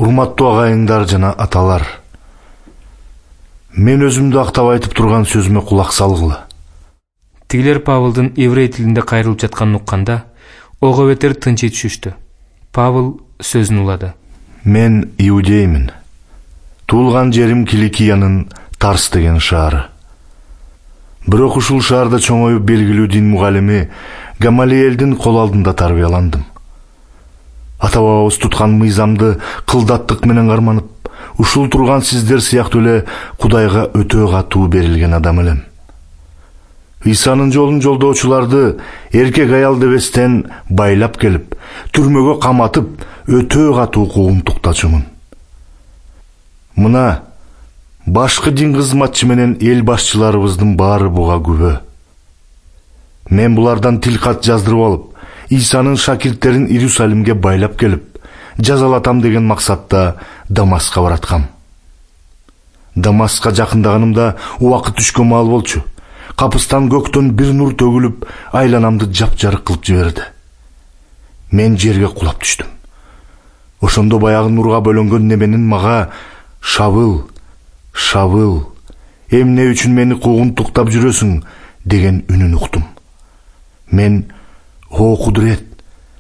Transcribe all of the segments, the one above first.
Урматтуу агайыңдар жана аталар, мен өзүмдү актап айтып турган сөзүмө кулак салгыла. Тигилер Павылдын еврей тилинде кайрылып жатканын укканда, ого бетер тынчый түшүштү. Павыл сөзүн улады. Мен иудеймин. Туулган жерим Киликиянын Тарс деген шаары. Бирок ушул шаарда чоңоюп белгилүү дин мугалими Гамалиэлдин кол алдында тарбияландым. Ата-бабабыз туткан мыйзамды кылдаттык менен карманып, ушул турган сиздер сыяктуу эле Кудайга өтө катуу берилген адам элем. Исанын жолун жолдоочуларды эркек аял дебестен байлап келип, түрмөгө каматып, өтө катуу куугунтуктачумун. Мына башкы дин кызматчы менен эл башчыларыбыздын баары буга күбө. Мен булардан тилкат жаздырып алып, Исанын шакирттерин Иерусалимге байлап келип, жазалатам деген максатта Дамаска бараткам. Дамаска жакындаганымда убакыт түшкөн маал болчу. Капыстан көктөн бир нур төгүлүп, айланамды жапжарык кылып жиберди. Мен жерге кулап түштүм. Ошондо баягы нурга бөлөнгөн неменин мага «Шавыл, Шавыл, эмне үчүн мени куугунтуктап жүрөсүң?» деген үнүн уктум. Мен «О Кудурет,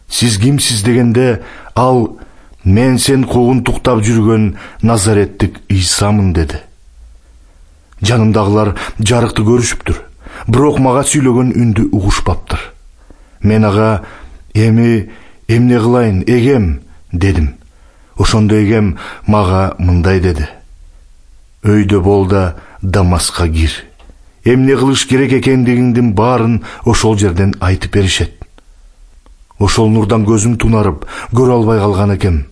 сиз кимсиз?» дегенде ал «Мен сен куугунтуктап жүргөн Назареттик Исамын» деди. Жанымдагылар жарыкты көрүшүптүр, бирок мага сүйлөгөн үндү угушпаптыр. Мен ага «Эми эмне кылайын, эгем?» дедим. Ошондо эгем мага мындай деди: «Өйдө бол да Дамаска кир. Эмне кылыш керек экендигиңдин баарын ошол жерден айтып беришет». Ошол нурдан көзүм тунарып, көрө албай калган экем.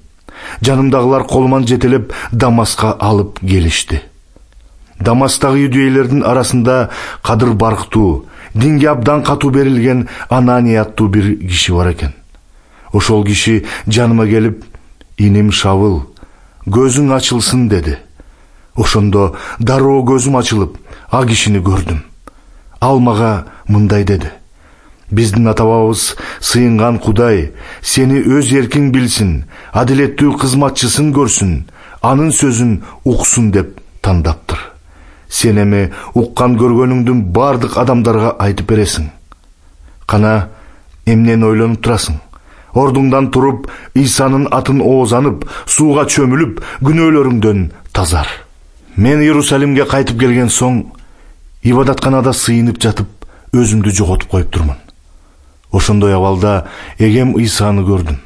Жанымдагылар колуман жетелеп Дамаска алып келишти. Дамастагы иудейлердин арасында кадыр барктуу, динге абдан катуу берилген Анания аттуу бир киши бар экен. Ошол киши жаныма келип: «Иним Шавыл, көзүң ачылсын» деди. Ошондо дароо көзүм ачылып, а кишини көрдүм. Ал мага мындай деди: «Биздин ата-бабабыз сыйынган Кудай сени өз эркиң билсин, адилеттүү кызматчысын көрсүн, анын сөзүн уксун деп тандаптыр. Сен эми уккан көргөнүңдүн бардык адамдарга айтып бересиң. Кана, эмнени ойлонуп турасың? Ордуңдан туруп, Исанын атын оозанып, сууга чөмүлүп, күнөөлөрүңдөн тазар». Мен Иерусалимге кайтып келген соң, ибадатканада сыйынып жатып, өзүмдү жоготуп коюптурмун. Ошондой абалда эгем Исаны көрдүм.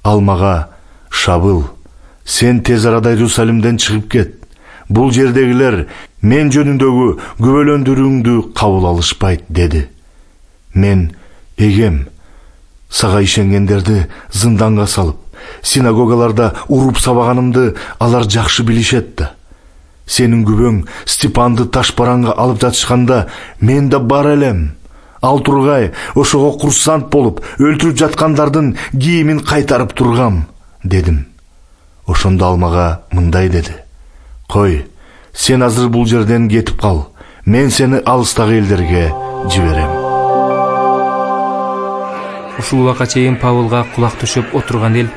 Ал мага: «Шавыл, сен тез арада Иерусалимден чыгып кет. Бул жердегилер мен жөнүндөгү күбөлөндүрүүңдү кабыл алышпайт» деди. Мен: «Эгем, сага ишенгендерди зынданга салып, синагогаларда уруп сабаганымды алар жакшы билишет да. Сенин күбөң Степанды таш бараңга алып жатышканда мен да бар элем. Ал тургай ошого курсант болуп, өлтүрүп жаткандардын кийимин кайтарып тургам» дедим. Ошондо ал мага мындай деди: «Кой, сен азыр бул жерден кетип кал. Мен сени алыстагы элдерге жиберем». Ушул убакка чейин Павылга кулак түшүп отурган эл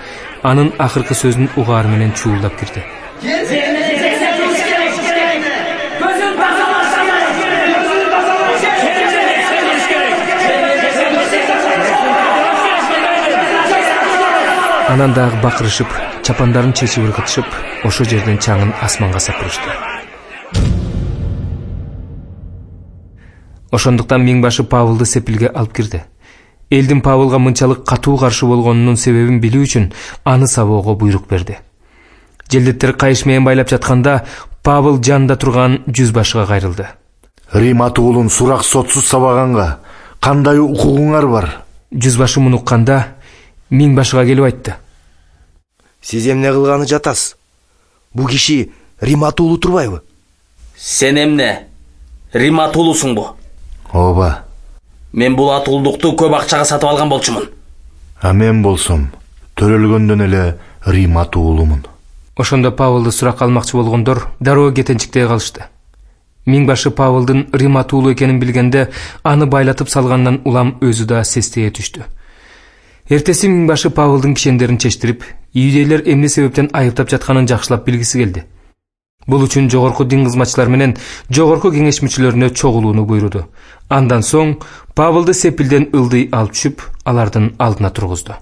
анын акыркы сөзүн угаар менен чуулдап кирди. Анан дагы бакырышып, чапандарын чечип ыргытышып, ошо жерден чаңын асманга сапырышты. Ошондуктан миңбашы Павылды сепилге алып кирди. Элдин Павылга мынчалык катуу каршы болгонунун себебин билүү үчүн аны сабоого буйрук берди. Желдеттер кайыш менен байлап жатканда Павыл жанында турган жүзбашыга кайрылды. «Рим атуулун сурак сотсуз сабаганга кандай укугуңар бар?» Жүзбашы муну укканда миңбашыга келип айтты: «Сиз эмне кылганы жатасыз? Бу киши Рим атуулу турбайбы?» «Сен эмне? Рим атуулусуңбу?» «Ооба». «Мен бул атуулдукту көп акчага сатып алган болчумун». «А мен болсом төрөлгөндөн эле Рим атуулумун». Ошондо Павылды суракка алмакчы болгондор дароо кетенчиктей калышты. Миңбашы Павылдын Рим атуулу экенин билгенде аны байлатып салгандан улам өзү да сестее түштү. Эртеси миңбашы Павылдын кишендерин чечтирип, иудейлер эмне себептен айыптап жатканын жакшылап билгиси келди. Бул үчүн жогорку дин кызматчылар менен жогорку кеңеш мүчөлөрүнө чогулууну буйруду. Андан соң Павылды сепилден ылдый алып түшүп, алардын алдына тургузду.